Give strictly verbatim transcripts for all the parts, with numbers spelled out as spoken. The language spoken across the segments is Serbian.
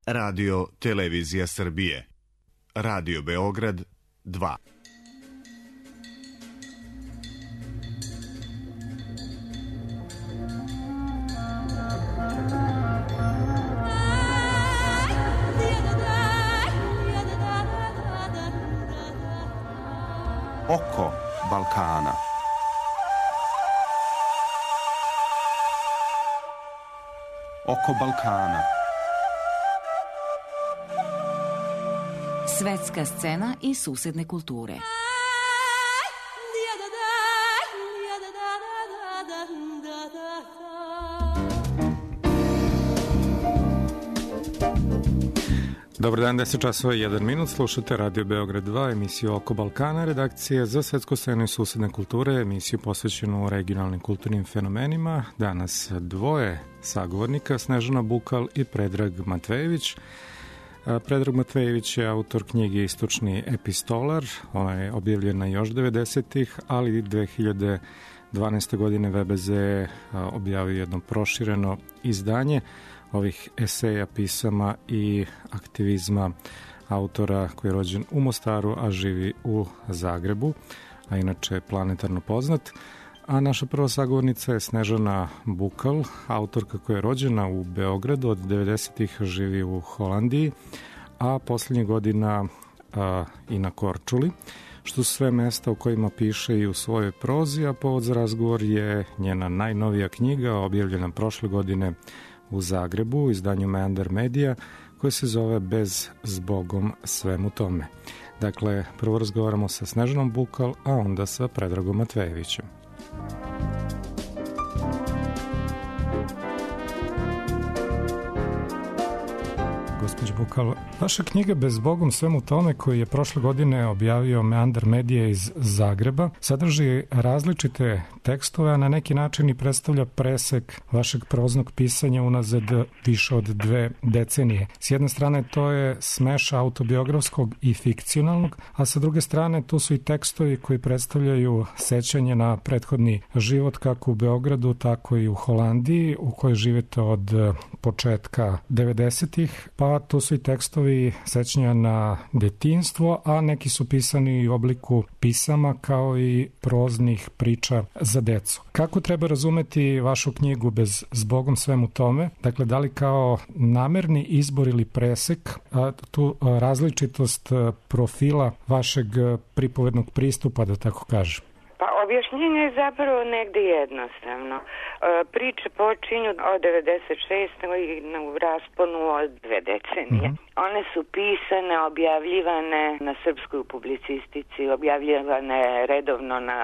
Radio Televizija Srbije. Radio Beograd dva. Oko Balkana. Oko Balkana. Svetska scena i susedne kulture. Dobar dan, deset časova i jedan minut, slušate Radio Beograd dva, emisiju Oko Balkana, redakcija za svetsku scenu i susedne kulture, emisiju posvećenu regionalnim kulturnim fenomenima. Danas dvoje sagovornika, Snežana Bukal i Predrag Matvejević. Predrag Matvejević je autor knjige Istočni epistolar, ona je objavljena još devedesetih, ali dve hiljade dvanaeste. godine V B Z je objavio jedno prošireno izdanje ovih eseja, pisama i aktivizma autora koji je rođen u Mostaru, a živi u Zagrebu, a inače je planetarno poznat. A naša prva sagovornica je Snežana Bukal, autorka koja je rođena u Beogradu, od devedesetih živi u Holandiji, a poslednjih godina a, i na Korčuli, što su sve mesta u kojima piše i u svojoj prozi, a povod za razgovor je njena najnovija knjiga, objavljena prošle godine u Zagrebu, u izdanju Meander Media, koje se zove Bez zbogom svemu tome. Dakle, prvo razgovaramo sa Snežanom Bukal, a onda sa Predragom Matvejevićem. Gospođo Bukal, vaša knjiga Bez zbogom svemu tome, koju je prošle godine objavio Meander Media iz Zagreba, sadrži različite tekstove, a na neki način i predstavlja presek vašeg proznog pisanja unazad više od dve decenije. S jedne strane to je smeš autobiografskog i fikcionalnog, a sa druge strane tu su i tekstovi koji predstavljaju sećanje na prethodni život kako u Beogradu, tako i u Holandiji, u kojoj živete od početka devedesetih, pa tu su i tekstovi sećanja na detinjstvo, a neki su pisani u obliku pisama kao i proznih priča za decu. Kako treba razumeti vašu knjigu Bez zbogom svemu tome? Dakle, da li kao namerni izbor ili presek a, tu a, različitost profila vašeg pripovednog pristupa, da tako kažem? Pa objašnjenje je zapravo negde jednostavno. Priče počinju od devedeset šeste. i na rasponu od dve decenije. Mm-hmm. One su pisane, objavljivane na srpskoj publicistici, objavljivane redovno na,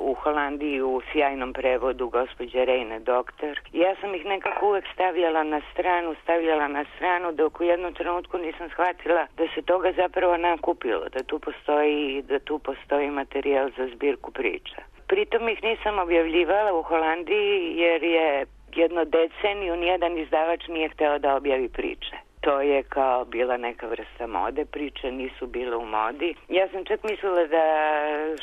u Holandiji u sjajnom prevodu gospođe Rejne Doktor. Ja sam ih nekako uvek stavljala na stranu, stavljala na stranu, dok u jednom trenutku nisam shvatila da se toga zapravo nakupilo, da tu postoji, da tu postoji materijal za zbirku priča. Pritom ih nisam objavljivala u Holandiji jer je jedno deceniju nijedan izdavač nije hteo da objavi priče. To je kao bila neka vrsta mode, priče nisu bile u modi. Ja sam čak mislila da,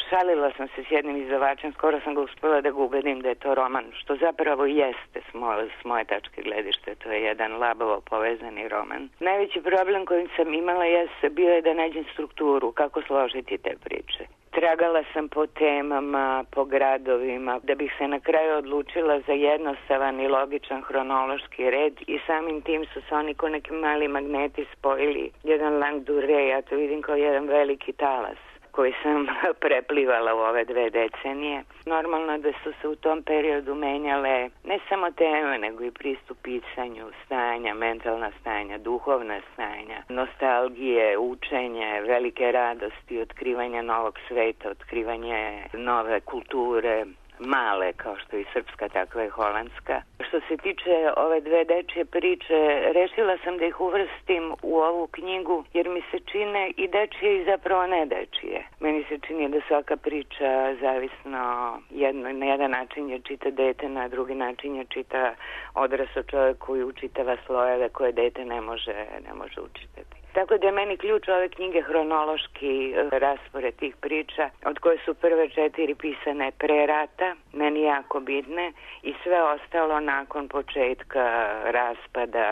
šalila sam se s jednim izdavačem, skoro sam ga uspela da ga ubedim da je to roman, što zapravo jeste s moje, s moje tačke gledište, to je jedan labavo povezani roman. Najveći problem kojim sam imala jeste bio je da nađem strukturu, kako složiti te priče. Tragala sam po temama, po gradovima, da bih se na kraju odlučila za jednostavan i logičan hronološki red i samim tim su se oni ko neki mali magneti spojili. Jedan lang durée, ja to vidim kao jedan veliki talas koji sam preplivala u ove dve decenije. Normalno da su se u tom periodu menjale ne samo teme, nego i pristup pisanju, stanja, mentalna stanja, duhovna stanja, nostalgije, učenje, velike radosti, otkrivanje novog sveta, otkrivanje nove kulture, male kao što je i srpska, takva i holandska. Što se tiče ove dve dečije priče, rešila sam da ih uvrstim u ovu knjigu jer mi se čine i dečije i zapravo ne dečije. Meni se čini da svaka priča zavisno jedno, na jedan način je čita dete, na drugi način je čita odrasao čovjek koji učitava slojeve koje dete ne može, ne može učitati. Tako da je meni ključ ove knjige hronološki raspored tih priča, od koje su prve četiri pisane pre rata, meni jako bitne, i sve ostalo nakon početka raspada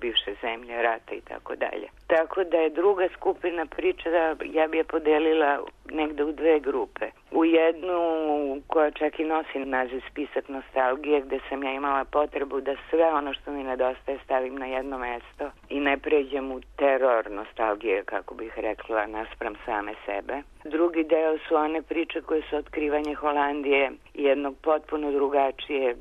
bivše zemlje, rata i tako dalje. Tako da je druga skupina priča, ja bi je podelila negde u dve grupe. U jednu koja čak i nosi naziv Spisak nostalgije, gde sam ja imala potrebu da sve ono što mi nedostaje stavim na jedno mesto i ne pređem u teror nostalgije, kako bih rekla, naspram same sebe. Drugi deo su one priče koje su otkrivanje Holandije i jednog potpuno drugačijeg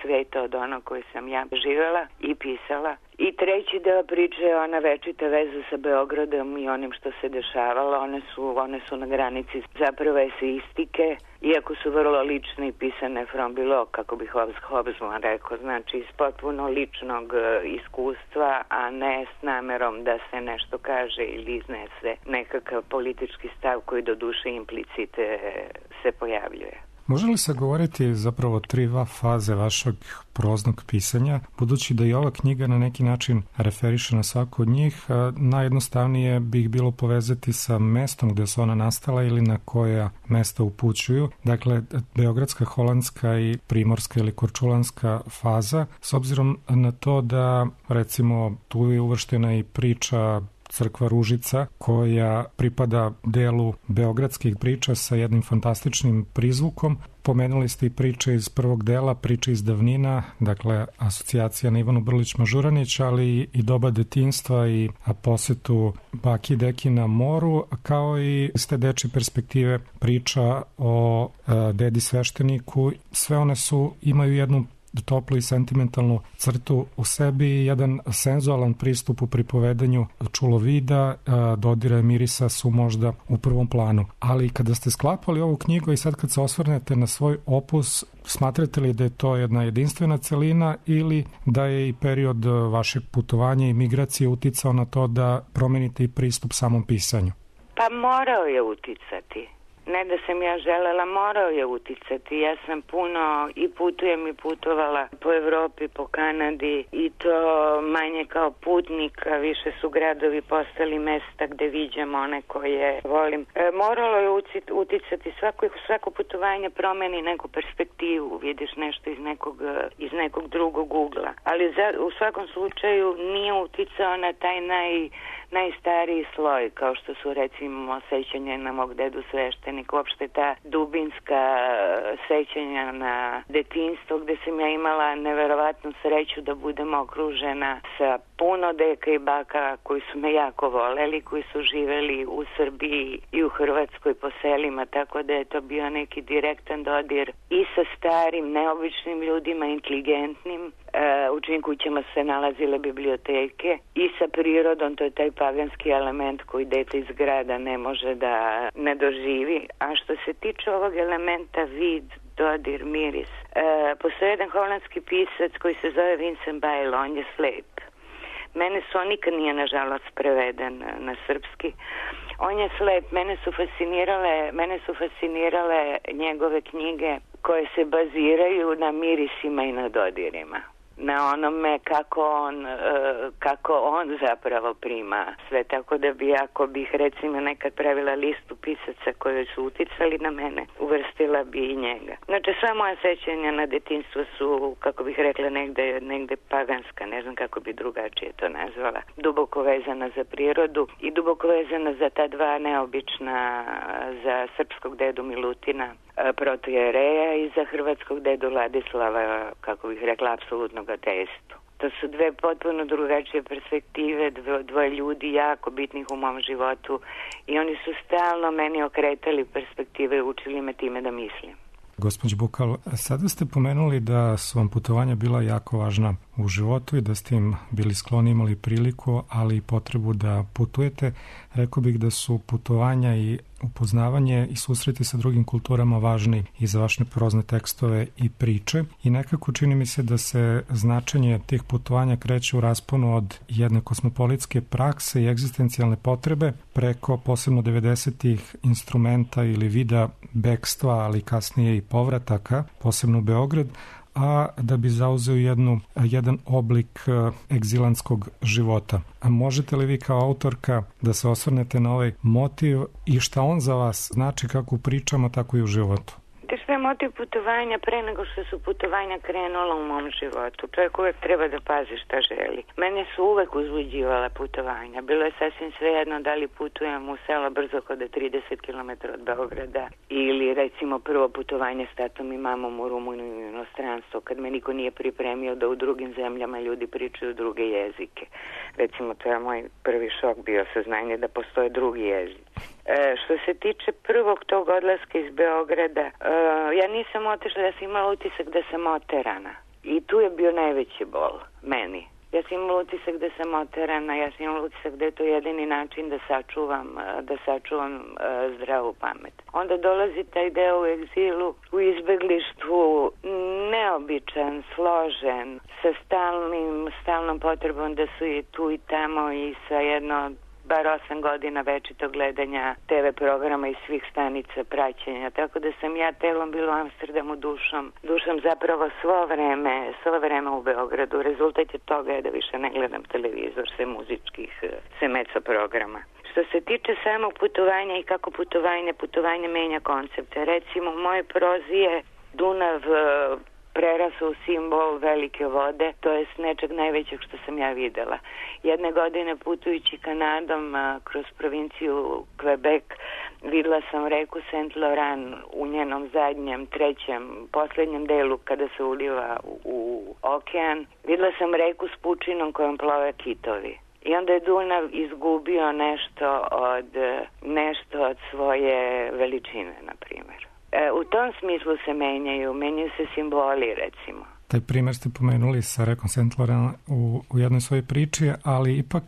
sveta od onog koje sam ja živjela i pisala. I treći deo priče je ona večita veza sa Beogradom i onim što se dešavalo. One su, one su na granici zapravo eseistike, iako su vrlo lične i pisane from below, kako bi Hobsbawm rekao, znači iz potpuno ličnog iskustva, a ne s namerom da se nešto kaže ili iznese nekakav politički stav koji do duše implicite se pojavljuje. Može li se govoriti zapravo tri dva faze vašeg proznog pisanja, budući da i ova knjiga na neki način referiše na svaku od njih, najjednostavnije bih bilo povezati sa mestom gde su ona nastala ili na koja mesta upućuju. Dakle, beogradska, holandska i primorska ili korčulanska faza, s obzirom na to da, recimo, tu je uvrštena i priča Crkva Ružica, koja pripada delu beogradskih priča sa jednim fantastičnim prizvukom. Pomenuli ste i priče iz prvog dela, priče iz davnina, dakle asocijacija na Ivanu Brlić-Mažuranić, ali i doba detinjstva i posetu baki i deki na moru, kao i iz te dečje perspektive priča o e, dedi svešteniku. Sve one su, imaju jednu toplu i sentimentalnu crtu u sebi i jedan senzualan pristup u pripovedanju čulovida, dodira mirisa su možda u prvom planu. Ali kada ste sklapali ovu knjigu i sad kad se osvrnete na svoj opus, smatrate li da je to jedna jedinstvena celina ili da je i period vašeg putovanja i migracije uticao na to da promenite i pristup samom pisanju? Pa morao je uticati. Ne da sam ja želela, morao je uticati. Ja sam puno i putujem i putovala po Evropi, po Kanadi i to manje kao putnik, a više su gradovi postali mesta gde viđam one koje volim. E, moralo je uticati, svako, svako putovanje promeni neku perspektivu, vidiš nešto iz nekog, iz nekog drugog ugla. Ali za, u svakom slučaju nije uticao na taj naj, najstariji sloj, kao što su recimo sećanje na mog dedu sveštenika, uopšte ta dubinska sećanja na detinjstvo gde sam ja imala neverovatnu sreću da budem okružena sa puno deka i baka koji su me jako voleli, koji su živeli u Srbiji i u Hrvatskoj po selima, tako da je to bio neki direktan dodir i sa starim, neobičnim ljudima, inteligentnim, u čijim kućama se nalazile biblioteke, i sa prirodom, to je taj paganski element koji dete iz grada ne može da ne doživi. A što se tiče ovog elementa vid, dodir, miris, e, postoji jedan holandski pisac koji se zove Vincent Bijl, on je slep. Mene su, on nikad nije nažalost preveden na srpski. On je slep, mene su fascinirale, mene su fascinirale njegove knjige koje se baziraju na mirisima i na dodirima. Na onome kako on, kako on zapravo prima sve, tako da bi, ako bih recimo nekad pravila listu pisaca koji su uticali na mene, uvrstila bi i njega. Znači, sva moja sećanja na detinjstvo su, kako bih rekla, negde, negde paganska, ne znam kako bi drugačije to nazvala, duboko vezana za prirodu i duboko vezana za ta dva neobična, za srpskog dedu Milutina, protojereja, i za hrvatskog dedu Ladislava, kako bih rekla, apsolutnog ateistu. To su dve potpuno drugačije perspektive, dve, dvoje ljudi jako bitnih u mom životu, i oni su stalno meni okretali perspektive i učili me time da mislim. Gospođo Bukal, sada ste pomenuli da su vam putovanja bila jako važna u životu i da ste im bili skloni, imali priliku, ali i potrebu da putujete. Rekao bih da su putovanja i upoznavanje i susreti sa drugim kulturama važni i za vaše prozne tekstove i priče, i nekako čini mi se da se značenje tih putovanja kreće u rasponu od jedne kosmopolitske prakse i egzistencijalne potrebe preko posebno devedesetih instrumenta ili vida bekstva, ali kasnije i povrataka, posebno u Beograd, a da bi zauzeo jednu, jedan oblik egzilantskog života. A možete li vi kao autorka da se osvrnete na ovaj motiv i šta on za vas znači kako u pričama, tako i u životu? Što je motiv putovanja pre nego što su putovanja krenula u mom životu? Čovjek uvek treba da pazi šta želi. Mene su uvek uzbuđivala putovanja. Bilo je sasvim svejedno da li putujem u selo Brzohoda trideset kilometara od Beograda ili recimo prvo putovanje s tatom i mamom u Rumuniju i inostranstvo, kad me niko nije pripremio da u drugim zemljama ljudi pričaju druge jezike. Recimo, to je moj prvi šok bio, saznanje da postoje drugi jezici. E, što se tiče prvog tog odlaska iz Beograda, e, ja nisam otišla, ja sam imala utisak da sam oterana. I tu je bio najveći bol meni. Ja sam imala utisak da sam oterana, ja sam imala utisak da je to jedini način da sačuvam, da sačuvam uh, zdravu pamet. Onda dolazi taj deo u egzilu, u izbeglištvu, neobičan, složen, sa stalnim, stalnom potrebom da su i tu i tamo i sa jedno bar osam godina večitog gledanja te ve programa i svih stanica praćenja, tako da sam ja telom bila u Amsterdamu, dušom, dušom zapravo svo vreme, svo vreme u Beogradu. Rezultat je toga je da više ne gledam televizor, sve muzičkih, sve meco programa. Što se tiče samog putovanja i kako putovanje, putovanje menja koncepte. Recimo, u mojoj prozi je Dunav prerasao u simbol velike vode, to je nečeg najvećeg što sam ja videla. Jedne godine putujući Kanadom a, kroz provinciju Quebec, videla sam reku Saint Laurent u njenom zadnjem, trećem, poslednjem delu kada se uliva u, u okean. Videla sam reku s pučinom kojom plove kitovi. I onda je Dunav izgubio nešto od, nešto od svoje veličine, na primjer. E, u tom smislu se menjaju, menjaju se simboli, recimo. Taj primjer ste pomenuli sa rekom Saint Laurent u, u jednoj svojoj priči, ali ipak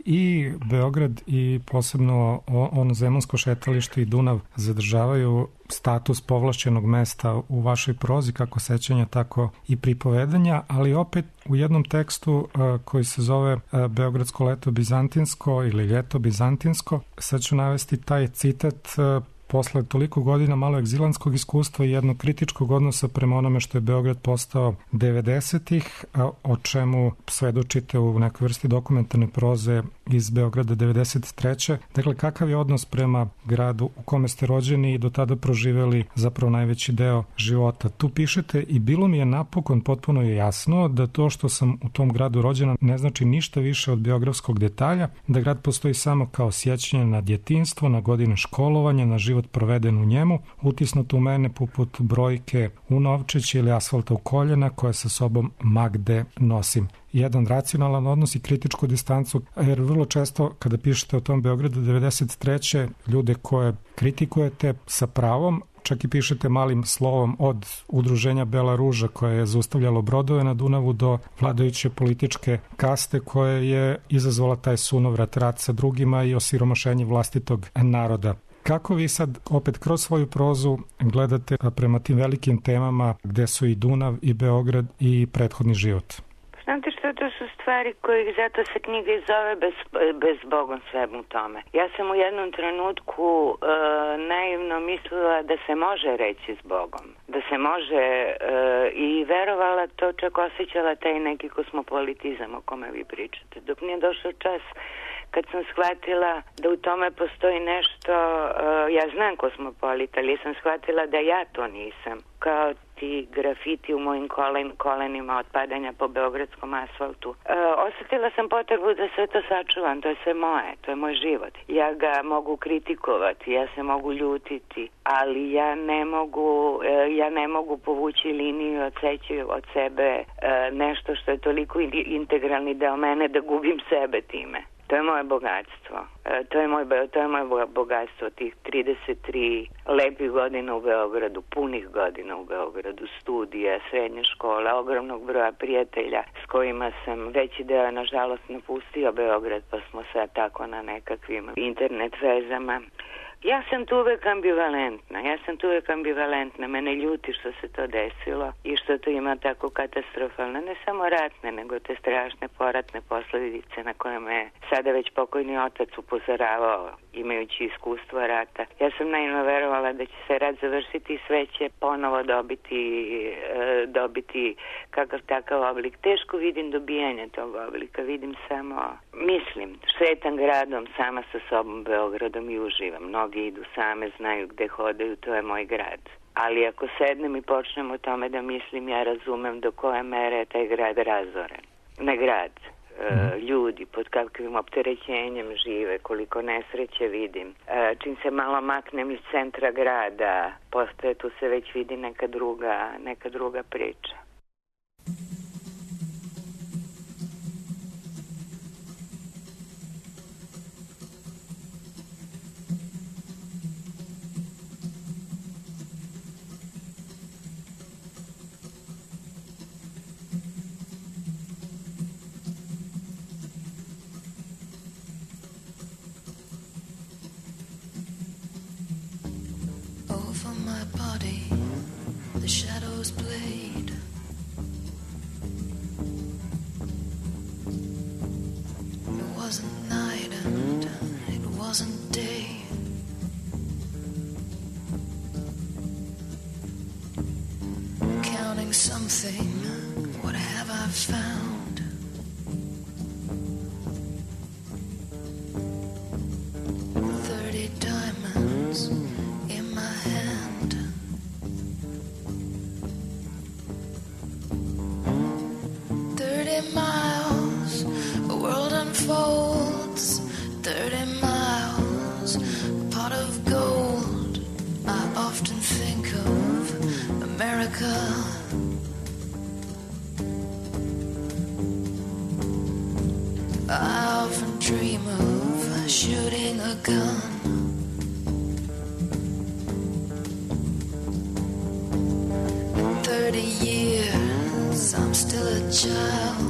i Beograd i posebno ono zemunsko šetalište i Dunav zadržavaju status povlašćenog mesta u vašoj prozi, kako sećanja, tako i pripovedanja, ali opet u jednom tekstu uh, koji se zove uh, Beogradsko leto bizantinsko ili ljeto bizantinsko, sad ću navesti taj citat uh, posle toliko godina malo egzilantskog iskustva i jednog kritičkog odnosa prema onome što je Beograd postao devedesetih, o čemu svedočite u nekoj vrsti dokumentarne proze iz Beograda devedeset treće. Dakle, kakav je odnos prema gradu u kome ste rođeni i do tada proživeli zapravo najveći deo života? Tu pišete i bilo mi je napokon potpuno je jasno da to što sam u tom gradu rođena ne znači ništa više od biografskog detalja, da grad postoji samo kao sjećanje na djetinjstvo, na godine školovanja, na život proveden u njemu, utisnuto u mene poput brojke u novčić ili asfalta u koljena koje sa sobom ma gde nosim. Jedan racionalan odnos i kritičku distancu, jer vrlo često kada pišete o tom Beogradu devedeset treće ljude koje kritikujete sa pravom, čak i pišete malim slovom od udruženja Bela ruža koje je zaustavljalo brodove na Dunavu do vladajuće političke kaste koje je izazvala taj sunovrat rat sa drugima i osiromašenje vlastitog naroda. Kako vi sad opet kroz svoju prozu gledate prema tim velikim temama gde su i Dunav i Beograd i prethodni život? Znate što, to su stvari koje zato se knjiga i zove bez, bez Bogom svemu tome. Ja sam u jednom trenutku e, naivno mislila da se može reći s Bogom. Da se može e, i verovala to, čak osjećala taj neki kosmopolitizam o kome vi pričate. Dok nije došao čas kad sam shvatila da u tome postoji nešto, uh, ja znam kosmopolit, ali sam shvatila da ja to nisam. Kao ti grafiti u mojim kolen, kolenima od padanja po beogradskom asfaltu. Uh, osjetila sam potrebu da sve to sačuvam, to je sve moje, to je moj život. Ja ga mogu kritikovati, ja se mogu ljutiti, ali ja ne mogu, uh, ja ne mogu povući liniju i odseći od sebe uh, nešto što je toliko integralni deo mene da gubim sebe time. To je moje bogatstvo. E, to je moj, to je moje bogatstvo, tih trideset tri lepih godina u Beogradu, punih godina u Beogradu, studija, srednje škole, ogromnog broja prijatelja s kojima sam veći deo, nažalost, napustio Beograd, pa smo sad tako na nekakvim internet vezama. Ja sam tu uvek ambivalentna, ja sam tu uvek ambivalentna, mene ljuti što se to desilo i što to ima tako katastrofalne, ne samo ratne, nego te strašne poratne posledice na koje me sada već pokojni otac upozoravao, imajući iskustvo rata. Ja sam naivno verovala da će se rat završiti i sve će ponovo dobiti, e, dobiti kakav takav oblik. Teško vidim dobijanje tog oblika, vidim samo, mislim, šetam gradom sama sa sobom, Beogradom i uživam. Mnogi idu same, znaju gde hodaju, to je moj grad. Ali ako sednem i počnem o tome da mislim, ja razumem do koje mere je taj grad razoren. Ne grad, e, ljudi pod kakvim opterećenjem žive, koliko nesreće vidim. E, čim se malo maknem iz centra grada, postoje, tu se već vidi neka druga, neka druga priča. The shadows played. It wasn't night and it wasn't day. Counting something, what have I found? Thirty diamonds in my hand. Miles, a world unfolds. Thirty miles, a pot of gold. I often think of America. I often dream of shooting a gun. In thirty years, I'm still a child.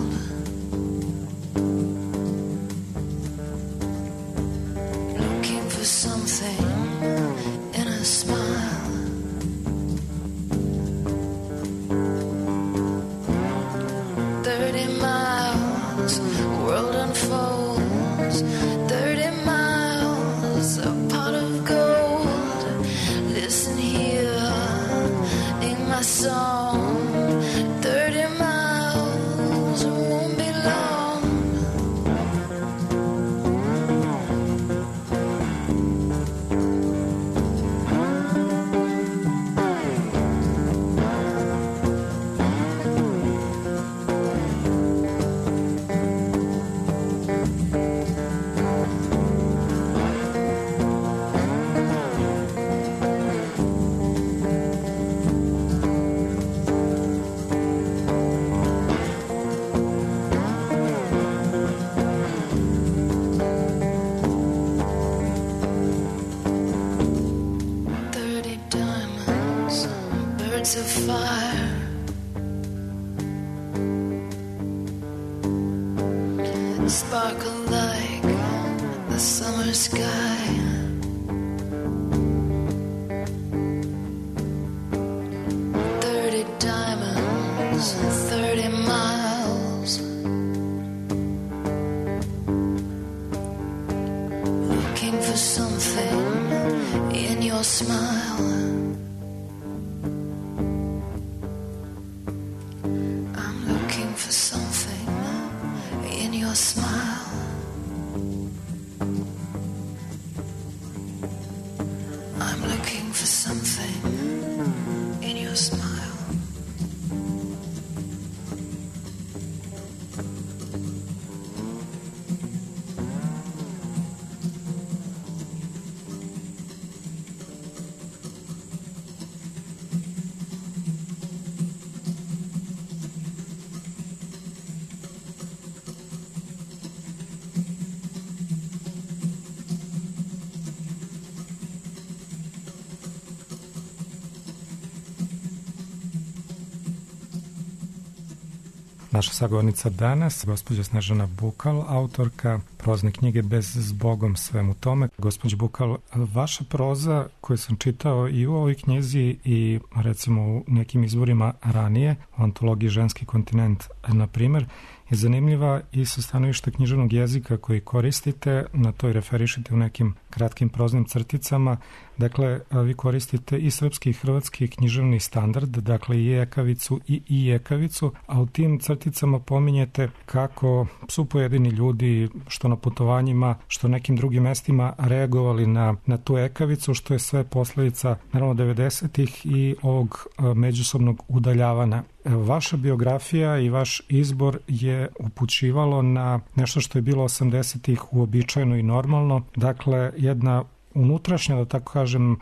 Of fire, sparkle like the summer sky. Thirty diamonds, thirty miles. Looking for something in your smile. Naša sagovornica danas, gospođa Snežana Bukal, autorka prozne knjige Bez zbogom svemu tome. Gospođo Bukal, vaša proza koju sam čitao i u ovoj knjizi i recimo u nekim izvorima ranije, u antologiji Ženski kontinent, na primjer, je zanimljiva i sa stanovišta književnog jezika koji koristite, na to i referišite u nekim kratkim proznim crticama. Dakle, vi koristite i srpski i hrvatski književni standard, dakle i ekavicu i i ekavicu, a u tim crticama pominjete kako su pojedini ljudi, što na putovanjima, što nekim drugim mestima, reagovali na, na tu ekavicu, što je sve posledica, naravno, devedesetih i ovog međusobnog udaljavanja. Vaša biografija i vaš izbor je upućivalo na nešto što je bilo osamdesetih uobičajeno i normalno, dakle jedna unutrašnja, da tako kažem,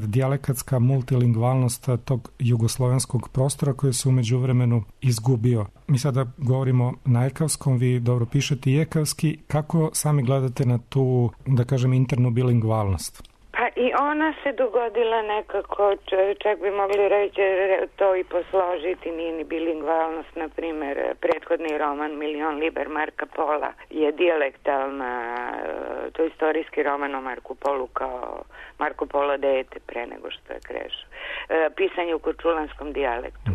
dijalekatska multilingvalnost tog jugoslovenskog prostora koji se umeđu vremenu izgubio. Mi sada govorimo na ekavskom, vi dobro pišete i ekavski. Kako sami gledate na tu, da kažem, internu bilingvalnost? Pa i ona se dogodila nekako, čak bi mogli reći to i posložiti, nije ni bilingvalnost, na primjer, prethodni roman Milion liber Marka Pola je dijalektalna, to je istorijski roman o Marku Polu kao Marko Polo dete pre nego što je krešao. Pisanje u korčulanskom dijalektu.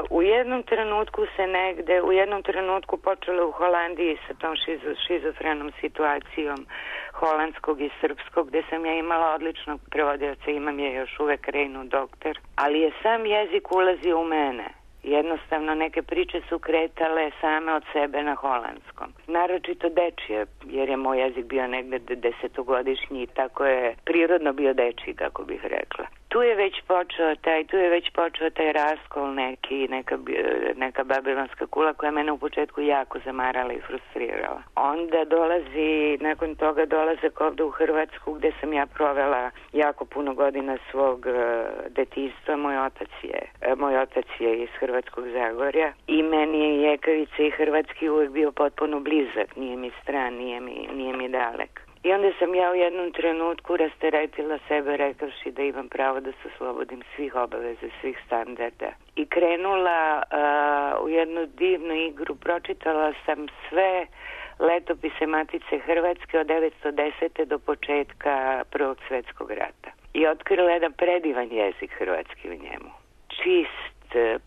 U jednom trenutku se negde, u jednom trenutku počelo u Holandiji sa tom šizo, šizofrenom situacijom holandskog i srpskog, gde sam ja imala odličnog prevodioca, imam je još uvek, Reinu doktor, ali je sam jezik ulazio u mene. Jednostavno neke priče su kretale same od sebe na holandskom. Naročito dečije, jer je moj jezik bio negde desetogodišnji i tako je prirodno bio dečiji, kako bih rekla. Tu je već počeo taj, tu je već počeo taj raskol neki, neka, neka babilonska kula koja mene u početku jako zamarala i frustrirala. Onda dolazi, nakon toga dolazak ovde u Hrvatsku gde sam ja provela jako puno godina svog uh, detinjstva. Moj otac je, uh, moj otac je iz Hrvatskog Zagorja i meni je ekavica i hrvatski uvijek bio potpuno blizak, nije mi stran, nije mi, nije mi dalek. I onda sam ja u jednom trenutku rasteretila sebe rekavši da imam pravo da se oslobodim svih obaveza, svih standarda. I krenula uh, u jednu divnu igru, pročitala sam sve letopise Matice Hrvatske od devetsto desete do početka Prvog svjetskog rata. I otkrila jedan predivan jezik hrvatski u njemu. Čist,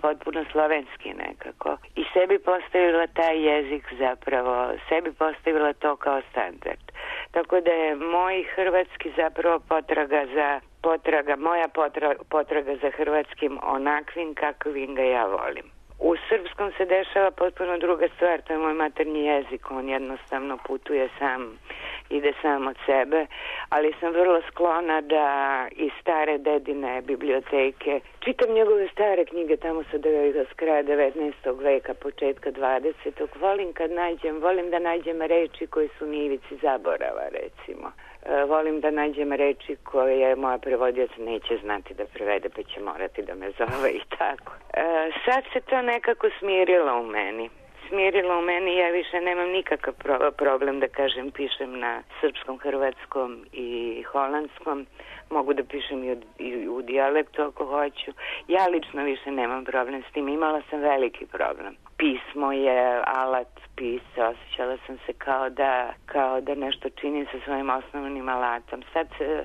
potpuno slovenski nekako. I sebi postavila taj jezik zapravo, sebi postavila to kao standard. Tako da je moj hrvatski zapravo potraga za, potraga, moja potraga, potraga za hrvatskim onakvim kakvim ga ja volim. U srpskom se dešava potpuno druga stvar, to je moj maternji jezik, on jednostavno putuje sam, ide sam od sebe, ali sam vrlo sklona da iz stare dedine biblioteke čitam njegove stare knjige tamo sa s kraja devetnaestog veka, početka dvadesetog. Volim kad nađem, volim da nađem reči koje su na ivici zaborava, recimo. E, volim da nađem reči koje moja prevodioc neće znati da prevede, pa će morati da me zove i tako. E, sad se to nekako smirilo u meni. Smirilo u meni, ja više nemam nikakav pro- problem da kažem, pišem na srpskom, hrvatskom i holandskom. Mogu da pišem i u, i u dijalektu ako hoću. Ja lično više nemam problem s tim. Imala sam veliki problem. Pismo je alat pisca. Osjećala sam se kao da, kao da nešto činim sa svojim osnovnim alatom. Sad e, e,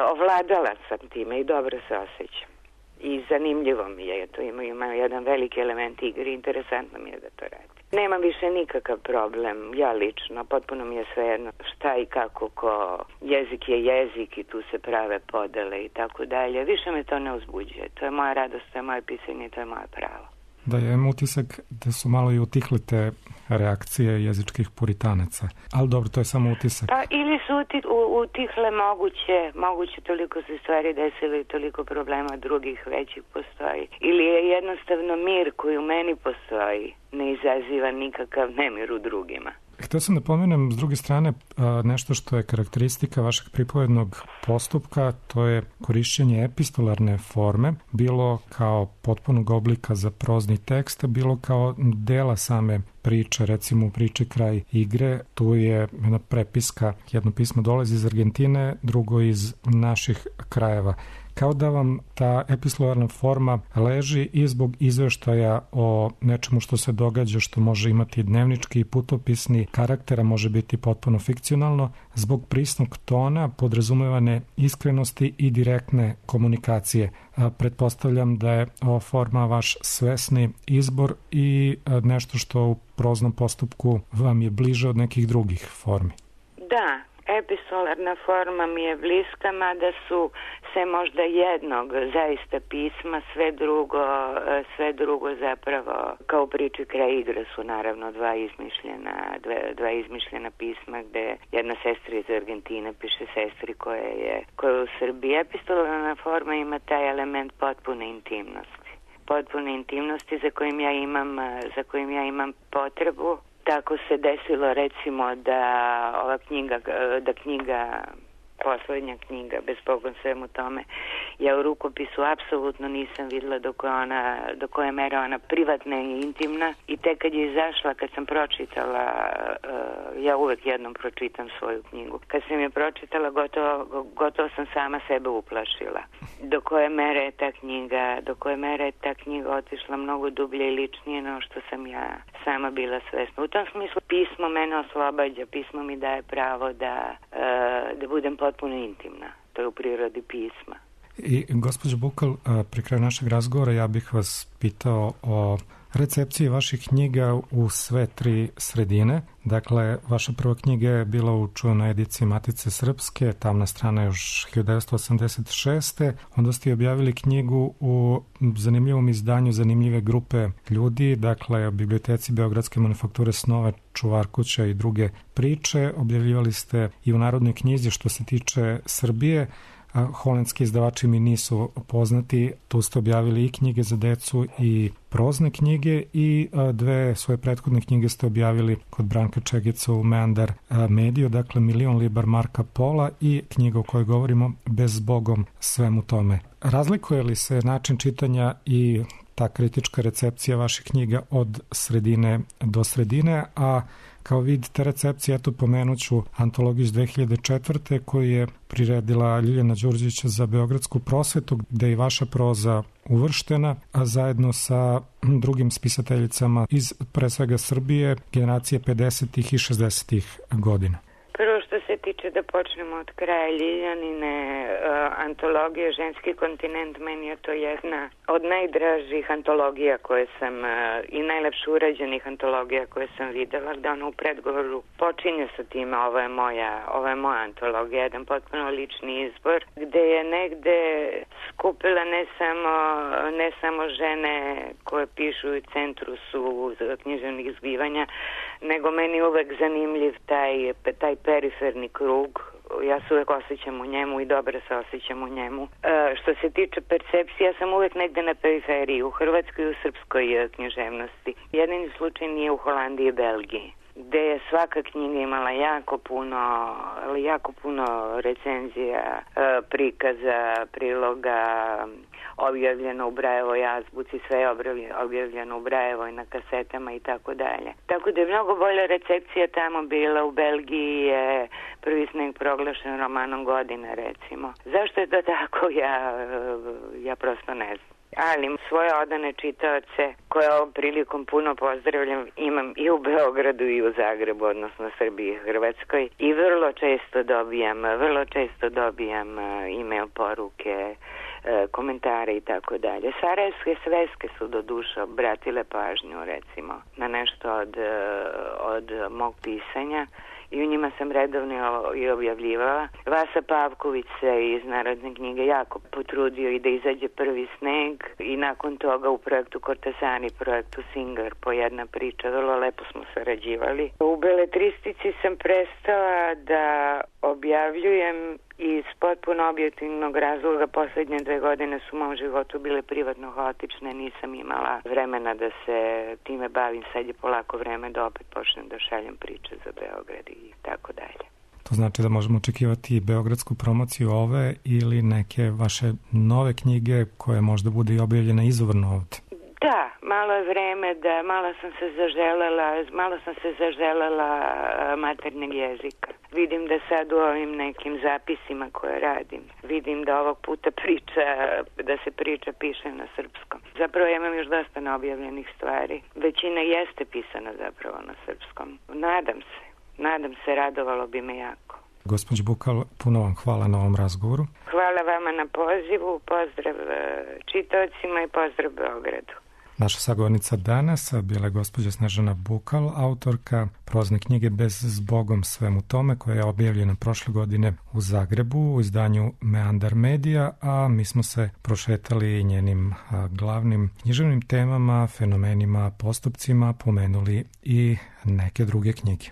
ovladala sam time i dobro se osjećam. I zanimljivo mi je, to ima, ima jedan veliki element igre, interesantno mi je da to radi. Nemam više nikakav problem, ja lično, potpuno mi je svejedno šta i kako, ko jezik je jezik i tu se prave podele i tako dalje. Više me to ne uzbuđuje, to je moja radost, to je moje pisanje, to je moje pravo. Da, ja imam utisak da su malo i utihle te reakcije jezičkih puritanaca. Ali dobro, to je samo utisak. Pa ili su uti, u, utihle moguće, moguće toliko se stvari desilo i toliko problema drugih većih postoji. Ili je jednostavno mir koji u meni postoji, ne izaziva nikakav nemir u drugima. Htio sam da pomenem s druge strane nešto što je karakteristika vašeg pripovednog postupka, to je korišćenje epistolarne forme, bilo kao potpunog oblika za prozni tekst, bilo kao dela same priče, recimo u priči Kraj igre, tu je jedna prepiska, jedno pismo dolazi iz Argentine, drugo iz naših krajeva. kao da vam ta epistolarna forma leži i zbog izveštaja o nečemu što se događa, što može imati dnevnički i putopisni karaktera, može biti potpuno fikcionalno, zbog prisnog tona, podrazumevane iskrenosti i direktne komunikacije. Pretpostavljam da je ova forma vaš svesni izbor i nešto što u proznom postupku vam je bliže od nekih drugih formi. Da, epistolarna forma mi je bliska, mada su se možda jednog zaista pisma, sve drugo, sve drugo zapravo kao u priči Kraj igre su naravno dva izmišljena, dva, dva izmišljena pisma gde jedna sestra iz Argentine piše sestri koja je, koja je u Srbiji. Epistolarna forma ima taj element potpune intimnosti. Potpune intimnosti za kojim ja imam, za kojim ja imam potrebu. Tako se desilo recimo da ova knjiga, da knjiga, poslednja knjiga, bez Bogom svemu tome, ja u rukopisu apsolutno nisam videla do koje, ona, do koje mere ona privatna i intimna i tek kad je izašla, kad sam pročitala, ja uvek jednom pročitam svoju knjigu, kad sam je pročitala gotovo, gotovo sam sama sebe uplašila. Do koje mere je ta knjiga, do koje mere je ta knjiga otišla mnogo dublje i ličnije no što sam ja sama bila svesna. U tom smislu pismo mene oslobađa, pismo mi daje pravo da, da budem potpuno intimna. To je u prirodi pisma. I gospođo Bukal, pri kraju našeg razgovora ja bih vas pitao o recepciji vaših knjiga u sve tri sredine. Dakle, vaša prva knjiga je bila u čuvenoj ediciji Matice Srpske, tamna strana još hiljadu devetsto osamdeset šeste. Onda ste objavili knjigu u zanimljivom izdanju zanimljive grupe ljudi, dakle, u biblioteci Beogradske manufakture snova, Čuvar kuća i druge priče. Objavljivali ste i u Narodnoj knjizi što se tiče Srbije. Holandski izdavači mi nisu poznati, tu ste objavili i knjige za decu i prozne knjige i dve svoje prethodne knjige ste objavili kod Branka Čegica u Meandar Mediju, dakle Milion libar Marka Pola i knjiga o kojoj govorimo Bez Bogom svemu tome. Razlikuje li se način čitanja i ta kritička recepcija vaših knjiga od sredine do sredine, a kao vid te recepcije, eto pomenuću antologiju iz dve hiljade četvrte koju je priredila Ljiljana Đurđević za Beogradsku prosvetu, gde je vaša proza uvrštena, a zajedno sa drugim spisateljicama iz pre svega Srbije, generacije pedesetih i šezdesetih godina. Prvo što se tiče, da počnemo od kraja, Ljiljanine uh, antologije Ženski kontinent, meni je to jedna od najdražih antologija koje sam uh, i najlepše urađenih antologija koje sam videla, gde ona u predgovoru počinje sa time, ovo je moja, ovo je moja antologija, jedan potpuno lični izbor, gde je negde skupila ne samo, ne samo žene koje pišu u centru su književnih zbivanja, nego meni uvek zanimljiv taj, taj periferni krug. Ja se uvek osjećam u njemu i dobro se osjećam u njemu. E, što se tiče percepcije, ja sam uvek negde na periferiji, u Hrvatskoj i u srpskoj književnosti. Jedini slučaj nije u Holandiji i Belgiji, gde je svaka knjiga imala jako puno, jako puno recenzija, e, prikaza, priloga, objavljeno u Brajevoj azbuci, sve je objavljeno u Brajevoj na kasetama i tako dalje. Tako da je mnogo bolja recepcija tamo bila. U Belgiji je Prvi sneg proglašen romanom godine, recimo. Zašto je to tako, ja, ja prosto ne znam. Ali svoje odane čitaoce, koje ovom prilikom puno pozdravljam, imam i u Beogradu i u Zagrebu, odnosno Srbiji i Hrvatskoj. I vrlo često dobijam, vrlo često dobijam e-mail poruke, komentare i tako dalje. Sarajevske sveske su do duše obratile pažnju, recimo, na nešto od, od mog pisanja. I u njima sam redovno i objavljivala. Vasa Pavković se iz Narodne knjige jako potrudio i da izađe Prvi sneg i nakon toga u projektu Kortasani, projektu Singer, po jedna priča, vrlo lepo smo sarađivali. U beletristici sam prestala da objavljujem iz potpuno objektivnog razloga. Poslednje dve godine su u mom životu bile privatno haotične, nisam imala vremena da se time bavim. Sad je polako vreme da opet počnem da šaljem priče za Beograd i tako dalje. To znači da možemo očekivati beogradsku promociju ove ili neke vaše nove knjige koje možda bude i objavljena izvorno ovde? Da, malo je vreme da malo sam se zaželela, malo sam se zaželela maternjeg jezika. Vidim da sad u ovim nekim zapisima koje radim, vidim da ovog puta priča, da se priča piše na srpskom. Zapravo ja imam još dosta neobjavljenih stvari. Većina jeste pisana zapravo na srpskom. Nadam se, nadam se, radovalo bi me jako. Gospođo Bukal, puno vam hvala na ovom razgovoru. Hvala vama na pozivu, pozdrav čitaocima i pozdrav Beogradu. Naša sagovornica danas bila je gospođa Snežana Bukal, autorka prozne knjige Bez zbogom svemu tome, koja je objavljena prošle godine u Zagrebu u izdanju Meandar Medija, a mi smo se prošetali njenim glavnim književnim temama, fenomenima, postupcima, pomenuli i neke druge knjige.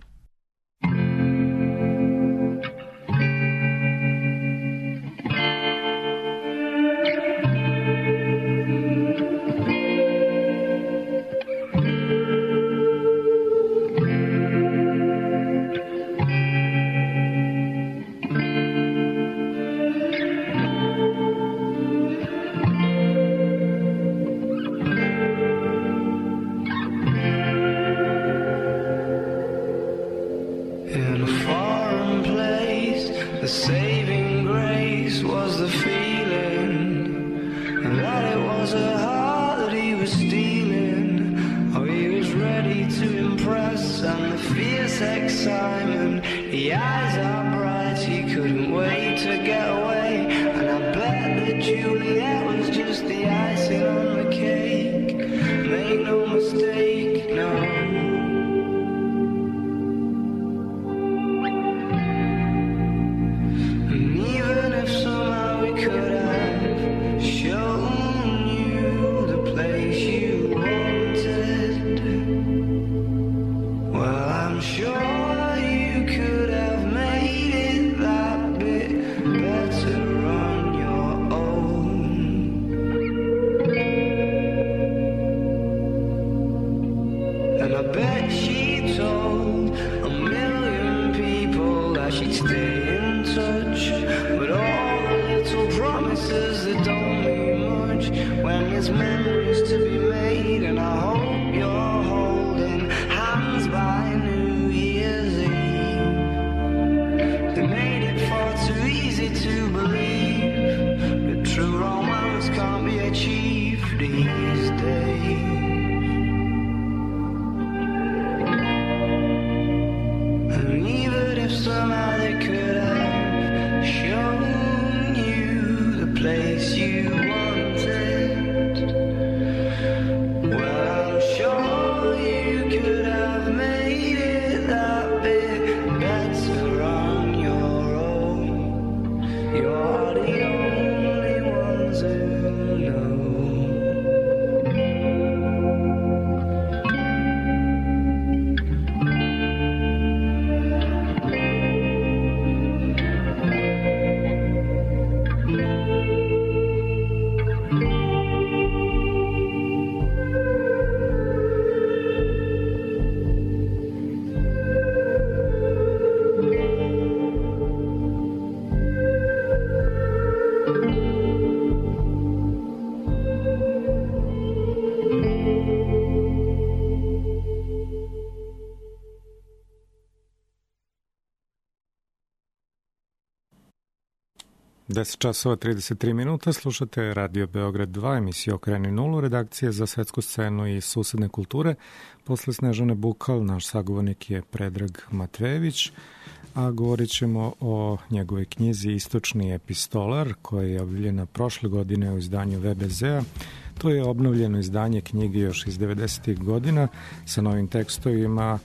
deset časova trideset tri minuta, slušate Radio Beograd dva, emisiju Okreni nulu, redakcije za svetsku scenu i susedne kulture. Posle Snežane Bukal, naš sagovornik je Predrag Matvejević, a govorit ćemo o njegovoj knjizi Istočni epistolar, koja je objavljena prošle godine u izdanju V B Z-a. To je obnovljeno izdanje knjige još iz devedesetih godina sa novim tekstovima,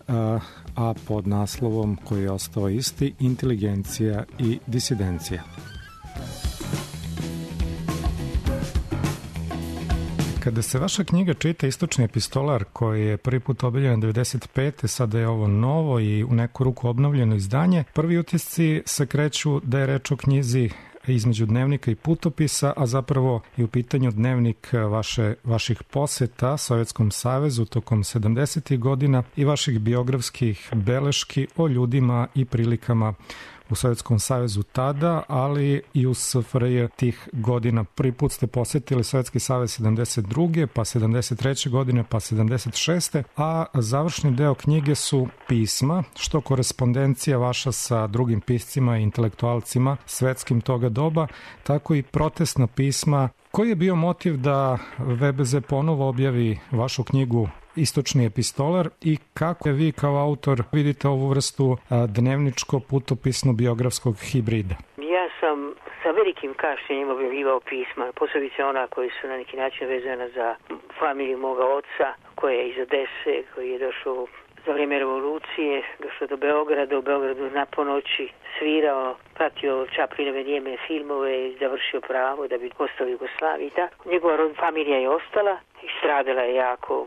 a, a pod naslovom koji je ostao isti, Inteligencija i disidencija. Kada se vaša knjiga čita Istočni epistolar, koji je prvi put objavljen devedeset pete. sada je ovo novo i u neku ruku obnovljeno izdanje, prvi utisci se kreću da je reč o knjizi između dnevnika i putopisa, a zapravo je u pitanju dnevnik vaše, vaših poseta Sovjetskom savezu tokom sedamdesetih godina i vaših biografskih beleški o ljudima i prilikama u Sovjetskom savezu tada, ali i u S F R J tih godina. Prvi put ste posetili Sovjetski savez sedamdeset druge pa sedamdeset treće godine, pa sedamdeset šeste a završni deo knjige su pisma, što korespondencija vaša sa drugim piscima i intelektualcima svetskim toga doba, tako i protestna pisma. Koji je bio motiv da V B Z ponovo objavi vašu knjigu Istočni epistolar i kako je vi kao autor vidite ovu vrstu dnevničko-putopisno-biografskog hibrida? Ja sam sa velikim kašnjenjem objavljivao pisma, posebice ona koji su na neki način vezana za familiju moga oca, koja je iz Odese, koji je došao za vrijeme revolucije, došao do Beograda, u Beogradu na ponoći svirao, pratio Čaplinove nijeme filmove i završio pravo da bi ostao u Jugoslaviji. Njegova familija je ostala i stradala je jako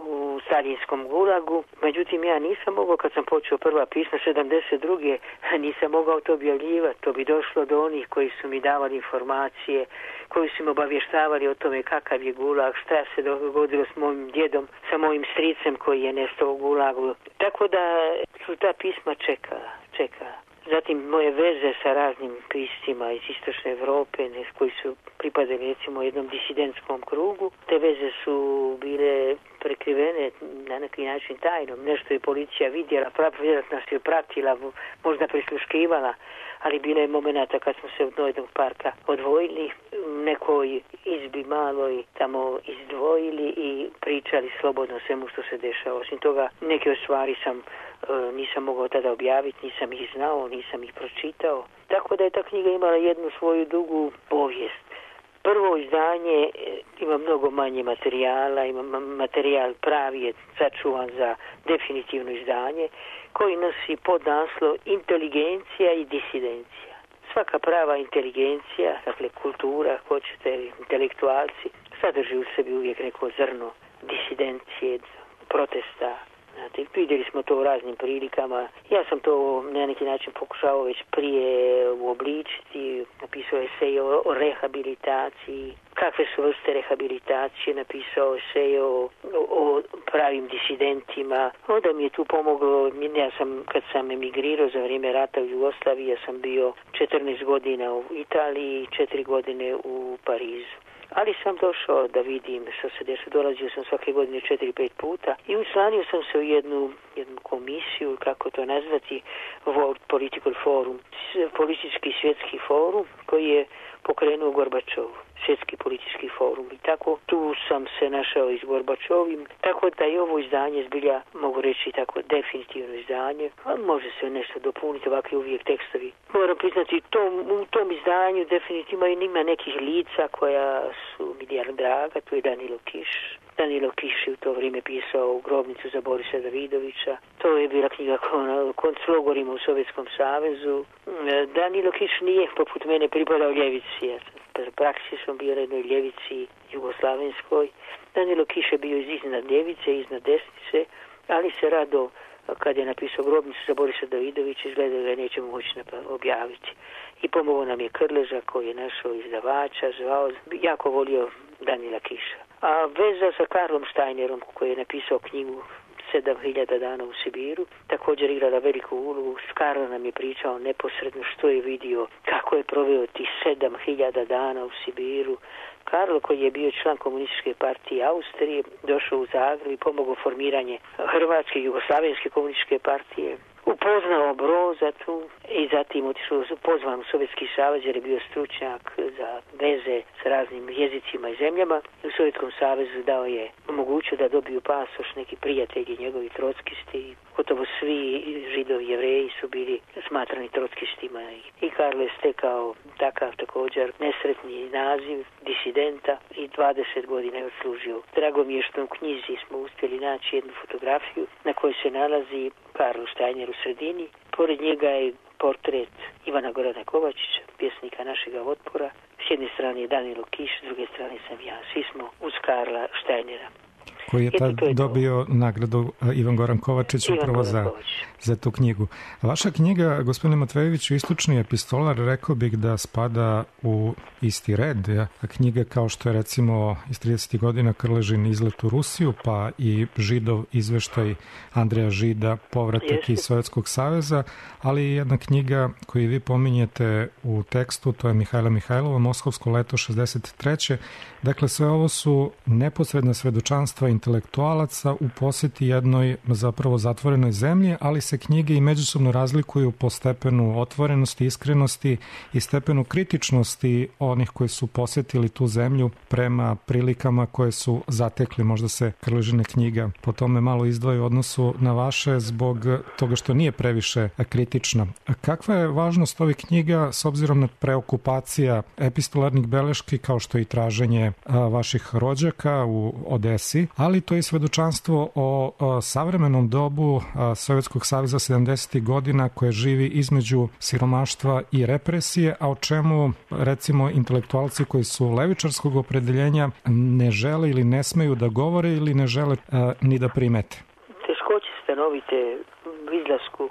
u stalinskom gulagu. Međutim, ja nisam mogao, kad sam počeo prva pisma sedamdeset druge nisam mogao to objavljivati. To bi došlo do onih koji su mi davali informacije, koji su mi obavještavali o tome kakav je gulag, šta se dogodilo s mojim djedom, sa mojim stricem koji je nestao u gulagu. Tako da su ta pisma čekala, čekala. Zatim moje veze sa raznim piscima iz Istočne Evrope koji su pripadali recimo jednom disidentskom krugu. Te veze su bile prekrivene na neki način tajnom. Nešto je policija vidjela, vjerojatno nas je pratila, možda prisluškivala, ali bilo je momenata kad smo se od jednog parka odvojili, nekoj izbi maloj tamo izdvojili i pričali slobodno svemu što se dešava. Osim toga, neke stvari sam nisam mogao tada objaviti, nisam ih znao, nisam ih pročitao. Tako da je ta knjiga imala jednu svoju dugu povijest. Prvo izdanje ima mnogo manje materijala, ima materijal pravi je sačuvan za definitivno izdanje, koji nosi podnaslov Inteligencija i disidencija. Svaka prava inteligencija, dakle kultura, hoćete, intelektualci, sadrži u sebi uvijek neko zrno disidencije, protesta. Znate, vidjeli smo to u raznim prilikama. Ja sam to na neki način pokušao već prije uobličiti. Napisao esej o, o rehabilitaciji. Kakve su vrste rehabilitacije? Napisao esej o, o pravim disidentima. Onda mi je tu pomoglo. Ja sam, kad sam emigrirao za vrijeme rata u Jugoslaviji, ja sam bio četrnaest godina u Italiji, četiri godine u Parizu. Ali sam došao da vidim što se dešava. Dolazio sam svake godine četiri, pet puta i učlanio sam se u jednu, jednu komisiju, kako to nazvati, World Political Forum, politički svjetski forum koji je pokrenuo Gorbačov, svjetski politički forum. I tako tu sam se našao i s Gorbačovim, tako da je ovo izdanje zbilja, mogu reći tako, definitivno izdanje, a može se nešto dopuniti, ovakvi uvijek tekstovi. Moram priznati, tom, u tom izdanju definitivno ima nekih lica koja su mi jako draga, tu je Danilo Kiš. Danilo Kiš je u to vrijeme pisao u Grobnicu za Borisa Davidovića. To je bila knjiga o konclogorima u Sovjetskom savezu. Danilo Kiš nije poput mene pripadao ljevici. Ja sam praksi sam bio na jednoj ljevici jugoslavenskoj. Danilo Kiš je bio iznad ljevice, iznad desnice, ali se rado, kad je napisao Grobnicu za Borisa Davidovića, izgleda da ga nećemo moći objaviti. I pomogao nam je Krleža koji je našao izdavača, zvao, jako volio Danila Kiša. A veza sa Karlom Steinerom koji je napisao knjigu sedam hiljada dana u Sibiru, također igrala veliku ulogu. Karlo nam je pričao neposredno što je vidio, kako je proveo tih sedam hiljada dana u Sibiru. Karlo, koji je bio član komunističke partije Austrije, došao u Zagreb i pomogao formiranje Hrvatske i Jugoslavenske komunističke partije. Upoznao Broza tu i zatim otišao, pozvan u Sovjetski savez jer je bio stručnjak za veze s raznim jezicima i zemljama. U Sovjetskom savezu dao je omogućio da dobiju pasoš neki prijatelji njegovi trotskisti. Gotovo svi Židovi i Jevreji su bili smatrani trockistima. I Karlo je stekao takav također nesretni naziv disidenta i dvadeset godina je odslužio. Drago mi je što u knjizi smo uspjeli naći jednu fotografiju na kojoj se nalazi Karlo Steiner u sredini. Pored njega je portret Ivana Gorana Kovačića, pjesnika našega otpora. S jedne strane je Danilo Kiš, s druge strane sam ja. Svi smo uz Karla Steinera. koji je tad je dobio nagradu Ivan Goran Kovačić Ivan upravo Goran za, za tu knjigu. Vaša knjiga, gospodine Matvejeviću, Istočni epistolar, rekao bih da spada u isti red. Ja? Knjiga kao što je recimo iz tridesetih godina Krležin izlet u Rusiju, pa i Židov izveštaj Andreja Žida, povratak Jeste. iz Sovjetskog saveza, ali i jedna knjiga koju vi pominjete u tekstu, to je Mihajla Mihajlova, Moskovsko leto šezdeset treće. Dakle, sve ovo su neposredna svedočanstva intelektualaca u poseti jednoj zapravo zatvorenoj zemlji, ali se knjige i međusobno razlikuju po stepenu otvorenosti, iskrenosti i stepenu kritičnosti onih koji su posetili tu zemlju prema prilikama koje su zatekli. Možda se Krležina knjiga po tome malo izdvaja u odnosu na vaše zbog toga što nije previše kritična. Kakva je važnost ovih knjiga s obzirom na preokupacija epistolarnih beleški kao što je i traženje vaših rođaka u Odesi, ali to je svedočanstvo o savremenom dobu Sovjetskog saveza sedamdesetih godina koje živi između siromaštva i represije, a o čemu recimo intelektualci koji su levičarskog opredeljenja ne žele ili ne smeju da govore ili ne žele a, ni da primete. Teškoće stanovite u izlasku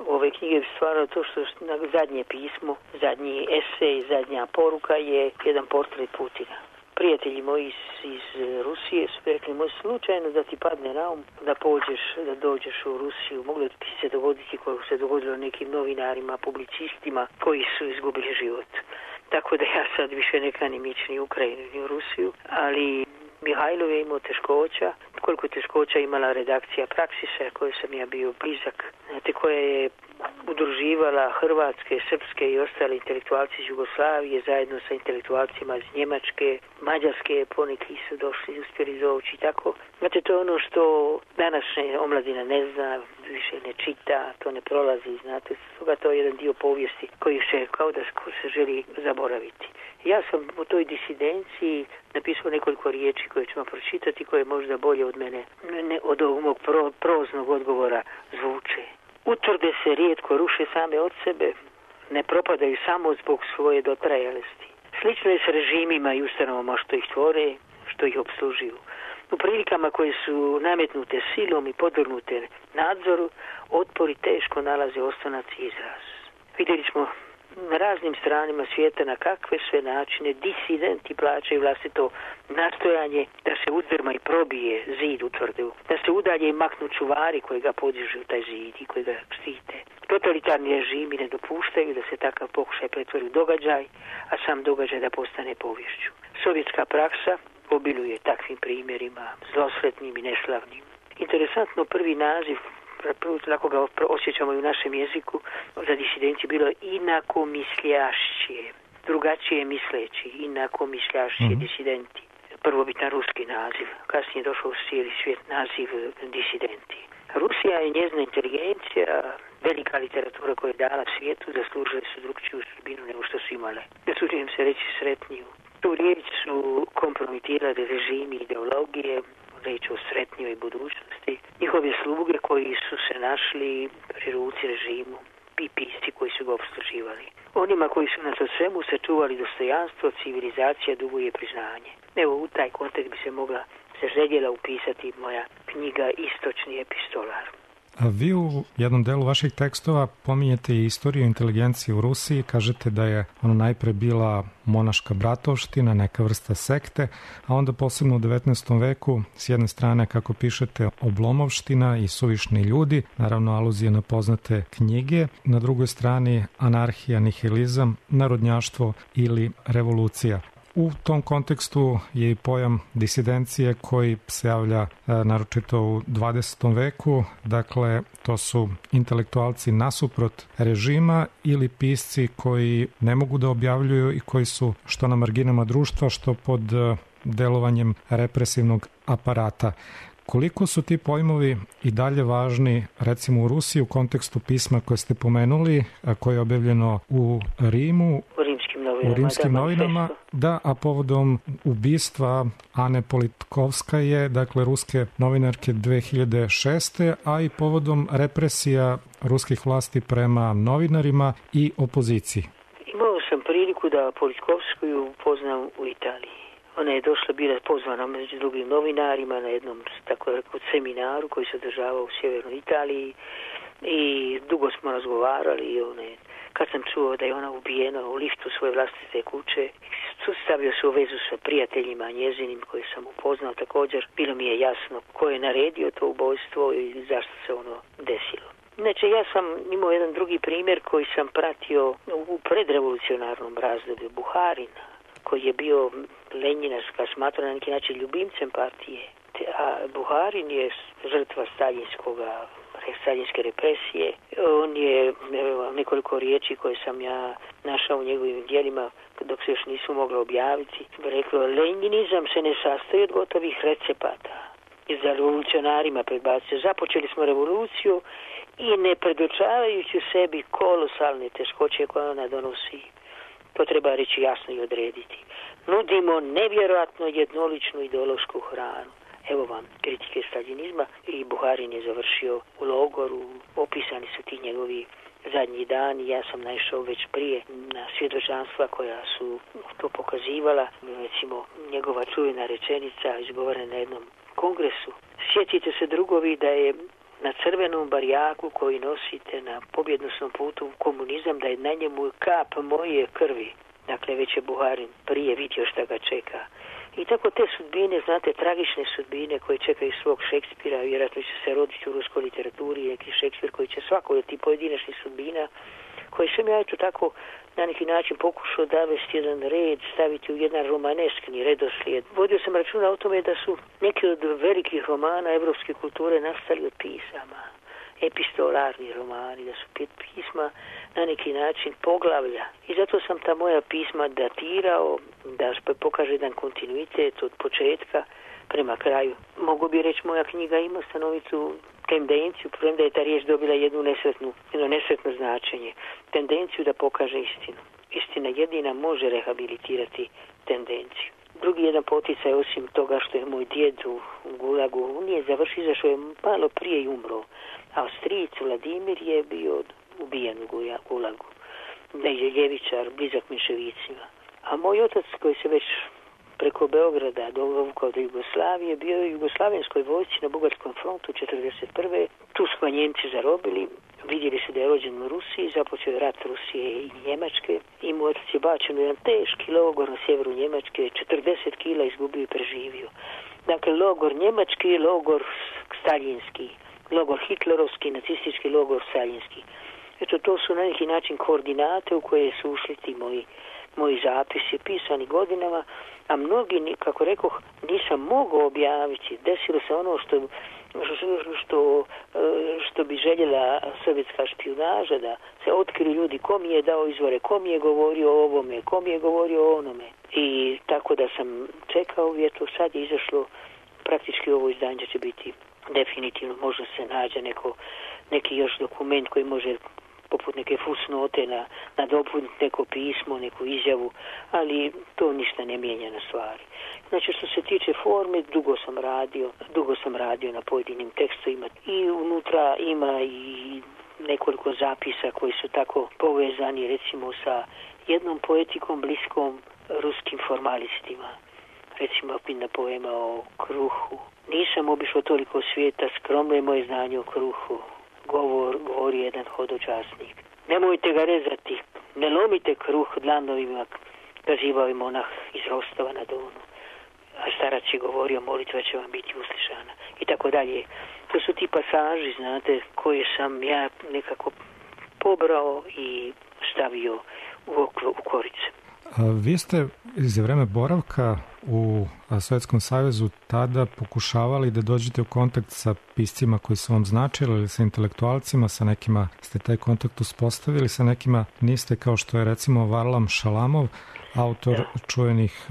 ove knjige stvarno to što na zadnje pismo, zadnji esej, zadnja poruka je jedan portret Putina. Prijatelji moji iz, iz Rusije su rekli, može slučajno da ti padne na um, da pođeš, da dođeš u Rusiju. Moglo ti se dogoditi kako se dogodilo nekim novinarima, publicistima koji su izgubili život. Tako da ja sad više ne kanim ići ni u Ukrajinu ni u Rusiju, ali Mihajlov je imao teškoća, koliko teškoća imala redakcija Praksisa, koje sam ja bio blizak, znate, koja je udruživala hrvatske, srpske i ostale intelektualci iz Jugoslavije zajedno sa intelektualcima iz Njemačke, Mađarske, poneki su došli, uspjeli doći i tako. Znate, to je ono što današnja omladina ne zna, više ne čita, to ne prolazi, znate, stoga to je jedan dio povijesti koji se kao da se želi zaboraviti. Ja sam u toj disidenciji napisao nekoliko riječi koje ćemo pročitati, koje možda bolje od mene, ne od ovog mog pro, proznog odgovora zvuče. Utvrde se rijetko ruše same od sebe, ne propadaju samo zbog svoje dotrajalosti. Slično je s režimima i ustanovama što ih tvore, što ih obslužuju. U prilikama koje su nametnute silom i podvrgnute nadzoru, otpori teško nalaze osnovac i izraz. Vidjeli smo na raznim stranima svijeta na kakve sve načine disidenti plaćaju vlastito nastojanje da se uzdrma i probije zid utvrde, da se udalje i maknu čuvari koji ga podižu taj zid i koji ga štite. Totalitarni režimi ne dopuštaju da se takav pokušaj pretvori u događaj, a sam događaj da postane poviješću. Sovjetska praksa obiluje takvim primjerima, zlosretnim i neslavnim. Interesantno, prvi naziv, lako ga osjećamo i u našem jeziku, za disidenciju bilo inakomisljašće, drugačije misleći, inakomisljašće, mm-hmm. disidenti. Prvobitan ruski naziv, kasnije došao u cijeli svijet naziv disidenti. Rusija i njezina inteligencija, velika literatura koja je dala svijetu, zaslužili su drugčiju sudbinu nego što su imale. Zasuđujem se reći sretniju. Tu riječ su kompromitirali režimi i ideologije, reći o sretnjoj budućnosti. Njihove sluge koji su se našli pri ruci režimu i pisci koji su ga obsluživali. Onima koji su nas od svemu sačuvali dostojanstvo, civilizacija duguje priznanje. Evo, u taj kontekst bi se mogla se željela upisati moja knjiga Istočni epistolar. A vi u jednom delu vaših tekstova pominjete i istoriju inteligencije u Rusiji, kažete da je ono najpre bila monaška bratovština, neka vrsta sekte, a onda posebno u devetnaestom veku s jedne strane, kako pišete, oblomovština i suvišni ljudi, naravno aluzije na poznate knjige, na drugoj strani anarhija, nihilizam, narodnjaštvo ili revolucija. U tom kontekstu je i pojam disidencije koji se javlja e, naročito u dvadesetom veku, dakle to su intelektualci nasuprot režima ili pisci koji ne mogu da objavljuju i koji su što na marginama društva, što pod e, delovanjem represivnog aparata. Koliko su ti pojmovi i dalje važni, recimo u Rusiji, u kontekstu pisma koje ste pomenuli, koje je objavljeno u Rimu, u rimskim novinama, u rimskim da, novinama da, a povodom ubistva Ane Politkovskaje, dakle ruske novinarke dve hiljade šeste. a i povodom represija ruskih vlasti prema novinarima i opoziciji. Imao sam priliku da Politkovskoju poznam u Italiji. Ona je došla, bila pozvana među drugim novinarima na jednom, tako rekao, seminaru koji se održavao u sjevernoj Italiji i dugo smo razgovarali i ona je, kad sam čuo da je ona ubijena u liftu svoje vlastite kuće, stavio se u vezu sa prijateljima njezinim koje sam upoznao također. Bilo mi je jasno ko je naredio to ubojstvo i zašto se ono desilo. Znači, ja sam imao jedan drugi primjer koji sam pratio u predrevolucionarnom razdoblju, Buharin, koji je bio Lenjinarska, smatra na neki način ljubimcem partije. A Buharin je žrtva staljinskoga staljinske represije. On je nekoliko riječi koje sam ja našao u njegovim djelima dok se još nisu mogla objaviti. Reklo, lenjinizam se ne sastoji od gotovih recepata. I za revolucionarima predbacio. Započeli smo revoluciju i ne predočavajući sebi kolosalne teškoće koje ona donosi. To treba reći jasno i odrediti. Nudimo nevjerojatno jednoličnu ideološku hranu. Evo vam kritike staljinizma i Buharin je završio u logoru, opisani su ti njegovi zadnji dani. Ja sam naišao već prije na svjedočanstva koja su to pokazivala. Recimo, njegova čuvena rečenica izgovorena na jednom kongresu. Sjetite se, drugovi, da je na crvenom barjaku koji nosite na pobjednosnom putu u komunizam, da je na njemu kap moje krvi. Dakle, već je Buharin prije vidio šta ga čeka. I tako te sudbine, znate, tragične sudbine koje čekaju svog Šekspira, vjerojatno će se roditi u ruskoj literaturi, neki Šekspir koji će svako od tih pojedinačnih sudbina, koje sam ja eto tako na neki način pokušao davesti jedan red, staviti u jedan romaneskni redoslijed. Vodio sam računa o tome da su neki od velikih romana evropske kulture nastali od pisama, epistolarni romani, da su pisma na neki način poglavlja. I zato sam ta moja pisma datirao, da pokaže jedan kontinuitet od početka prema kraju. Mogu bi reći, moja knjiga ima stanovitu tendenciju, premda je ta riječ dobila jednu nesretnu, jedno nesretno značenje, tendenciju da pokaže istinu. Istina jedina može rehabilitirati tendenciju. Drugi jedan poticaj, osim toga što je moj djed u Gulagu, on je završio, izašao je malo prije i umro. A stric Vladimir je bio ubijen u Gulagu. Da je ljevičar, blizak menševicima. A moj otac, koji se već preko Beograda dovukao do Jugoslavije, bio je u jugoslavenskoj vojsci na Bugarskom frontu četrdeset prve. Tu su ga Njemci zarobili, vidjeli su da je rođen u Rusiji, započeo je rat Rusije i Njemačke i moj otac je bačen u jedan teški logor na sjeveru Njemačke, četrdeset kila izgubio i preživio. Dakle, logor njemački, logor staljinski, logor hitlerovski, nacistički logor staljinski. Eto, to su na neki način koordinate u koje su ušli ti moji, moji zapisi, pisani godinama, a mnogi, kako rekoh, nisam mogao objaviti. Desilo se ono što, što, što bi željela sovjetska špijunaža, da se otkriju ljudi ko mi je dao izvore, ko mi je govorio o ovome, ko mi je govorio o onome. I tako da sam čekao, eto, sad je izašlo praktički ovo izdanje će biti definitivno, možda se nađe neko, neki još dokument koji može poput neke fusnote na, nadopuniti neko pismo, neku izjavu, ali to ništa ne mijenja na stvari. Znači, što se tiče forme, dugo sam radio, dugo sam radio na pojedinim tekstovima i unutra ima i nekoliko zapisa koji su tako povezani, recimo sa jednom poetikom bliskom ruskim formalistima. Recimo, pinna poema o kruhu. Nisam obišao toliko svijeta, skromno je moje znanje o kruhu. Govor, govori jedan hodočasnik. Nemojte ga rezati, ne lomite kruh dlanovima, kazivao je monah iz Rostova na Donu. A starac je govorio, molitva će vam biti uslišana. I tako dalje. To su ti pasaži, znate, koje sam ja nekako pobrao i stavio u, okru, u korice. Vi ste iz vreme boravka u Sovjetskom savezu tada pokušavali da dođete u kontakt sa piscima koji su vam značili ili sa intelektualcima, sa nekima ste taj kontakt uspostavili, sa nekima niste, kao što je recimo Varlam Šalamov, autor čuvenih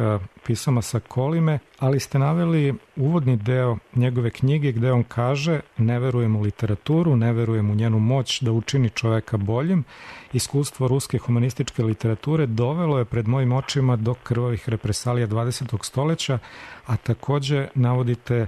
pisama sa Kolime, ali ste naveli uvodni deo njegove knjige gde on kaže: ne verujem u literaturu, ne verujem u njenu moć da učini čoveka boljim. Iskustvo ruske humanističke literature dovelo je pred mojim očima do krvavih represalija dvadesetog stoleća, a takođe navodite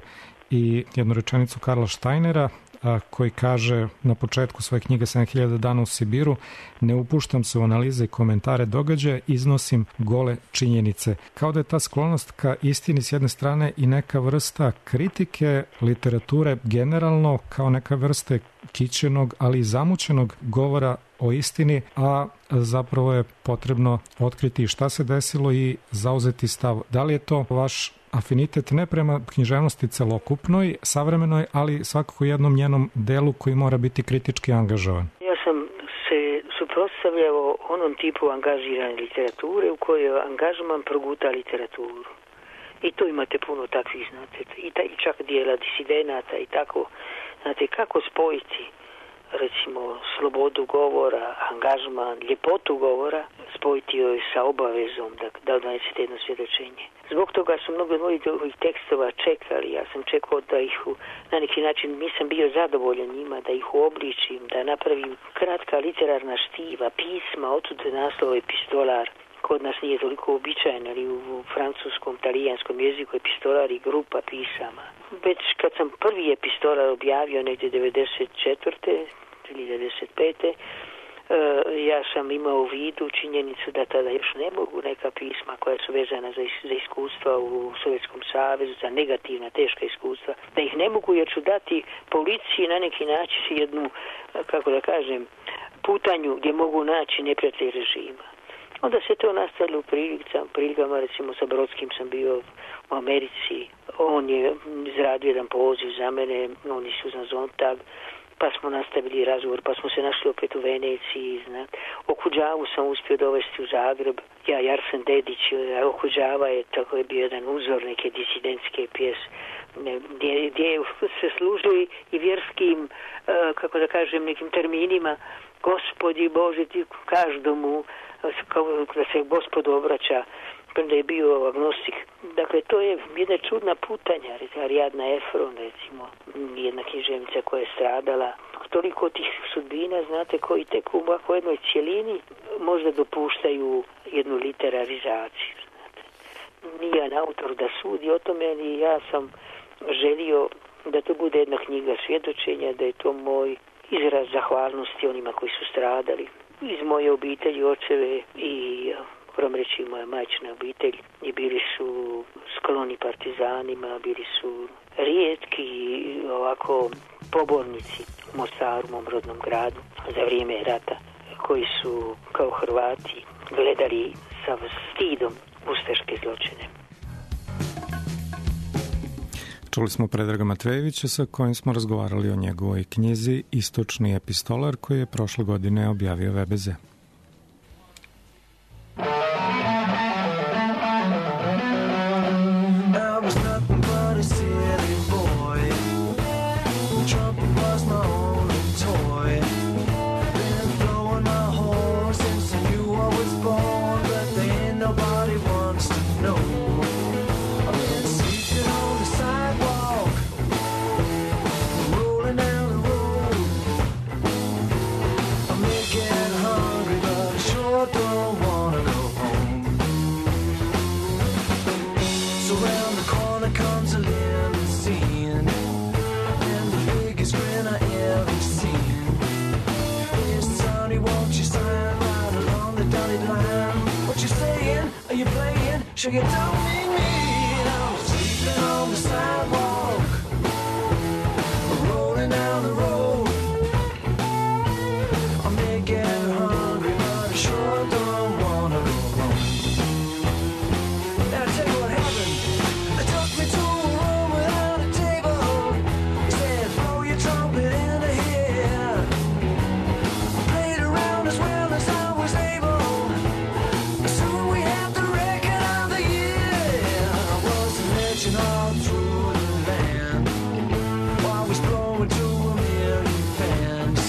i jednu rečenicu Karla Steinera: a, koji kaže na početku svoje knjige sedam hiljada dana u Sibiru: ne upuštam se u analize i komentare događaja, iznosim gole činjenice. Kao da je ta sklonost ka istini s jedne strane i neka vrsta kritike literature generalno, kao neka vrste kićenog, ali i zamućenog govora o istini, a zapravo je potrebno otkriti šta se desilo i zauzeti stav. Da li je to vaš afinitet ne prema književnosti celokupnoj, savremenoj, ali svakako jednom njenom delu koji mora biti kritički angažovan? Ja sam se suprotstavljao onom tipu angažirane literature u kojoj angažman proguta literaturu. I to imate puno takvih, znate, i, ta, i čak dijela disidenata i tako. Znate, kako spojiti recimo slobodu govora, angažman, ljepotu govora, spojiti joj sa obavezom da, da donesete jedno svjedočenje. Zbog toga su mnogo od mojih tekstova čekali, ja sam čekao da ih u, na neki način nisam bio zadovoljan njima, da ih uobličim, da napravim kratka literarna štiva, pisma, otud naslov epistolar. Kod nas nije toliko uobičajeno, ali u francuskom, talijanskom jeziku epistolar i grupa pisama. Već kad sam prvi epistolar objavio negdje devedeset četvrte ili devedeset pete ja sam imao u vidu činjenicu da tada još ne mogu neka pisma koja su vezana za, za iskustva u Sovjetskom savezu, za negativna, teška iskustva, da ih ne mogu jer ću dati policiji na neki način jednu, kako da kažem, putanju gdje mogu naći neprijatelje režima. Onda se to nastavilo u prilikama, recimo sa Brodskim sam bio u Americi, on je izradio jedan poziv za mene, on je Suzan Zontag, pa smo nastavili razgovor, pa smo se našli opet u Veneciji, znat. Okuđavu sam uspio dovesti u Zagreb, ja i Arsen Dedić, Okuđava je, tako je bio jedan uzor neke disidentske pjese, gdje, gdje se služili i vjerskim, kako da kažem, nekim terminima, Gospodi Bože, ti každomu, kao da se Gospod obraća, da je bio agnostik. Dakle, to je jedna čudna putanja, Ariadna Efron, recimo, jedna književnica koja je stradala. Toliko tih sudbina, znate, koji tek u ovakvoj jednoj cijelini možda dopuštaju jednu literarizaciju. Znate. Nijedan autor da sudi o tome, ali ja sam želio da to bude jedna knjiga svjedočenja, da je to moj izraz zahvalnosti onima koji su stradali. Iz moje obitelji, očeve i moram reći moja majčina obitelj, i bili su skloni partizanima, bili su rijetki ovako pobornici u Mostaru, mom rodnom gradu, za vrijeme rata, koji su kao Hrvati gledali sa stidom ustaške zločine. Čuli smo Predraga Matvejevića sa kojim smo razgovarali o njegovoj knjizi Istočni epistolar koji je prošle godine objavio V B Z. Should you tell me me I'm sleeping on the sidewalk, rolling down the road. I may get hungry, but I sure don't wanna go home. Now I tell you what happened. They took me to a room without a table. They said, blow your trumpet in the air. I played around as well as I was able. Soon we had the record of the year. I was a legend all through the land. While we was blowing to a million fans.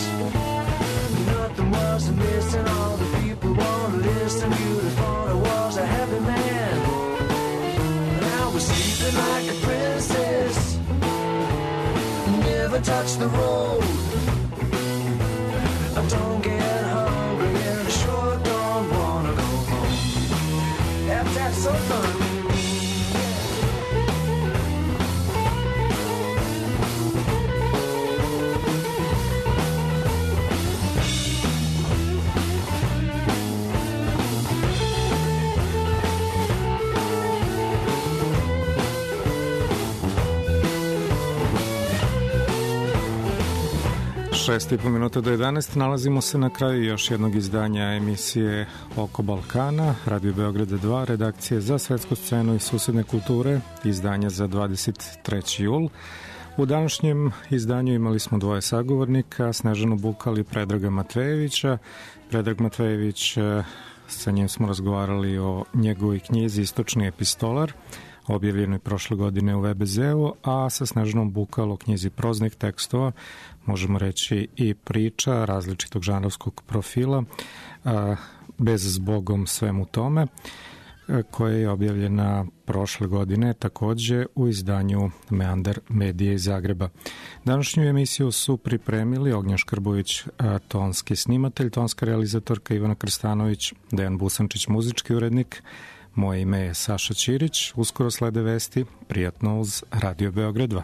Nothing was missing, all the people wanna listen. You'd have thought I was a happy man. And I was sleeping like a princess. Never touched the road. I don't get hungry and I sure don't wanna go home. That's, that's so fun. šest i po minuta do jedanaest. Nalazimo se na kraju još jednog izdanja emisije Oko Balkana, Radio Beograda dva, redakcije za svetsku scenu i susedne kulture, izdanja za dvadeset treći jul. U današnjem izdanju imali smo dvoje sagovornika, Snežanu Bukal i Predraga Matvejevića. Predrag Matvejević, sa njim smo razgovarali o njegovoj knjizi Istočni epistolar, objavljenoj prošle godine u V B Z-u, a sa Snežanom Bukal o knjizi proznih tekstova, možemo reći i priča različitog žanrovskog profila, Bez zbogom svemu tome, koja je objavljena prošle godine takođe u izdanju Meandar Medije iz Zagreba. Današnju emisiju su pripremili Ognjen Škrbović, tonski snimatelj, tonska realizatorka Ivana Krstanović, Dejan Busančić, muzički urednik. Moje ime je Saša Ćirić. Uskoro slede vesti. Prijatno uz Radio Beograd dva.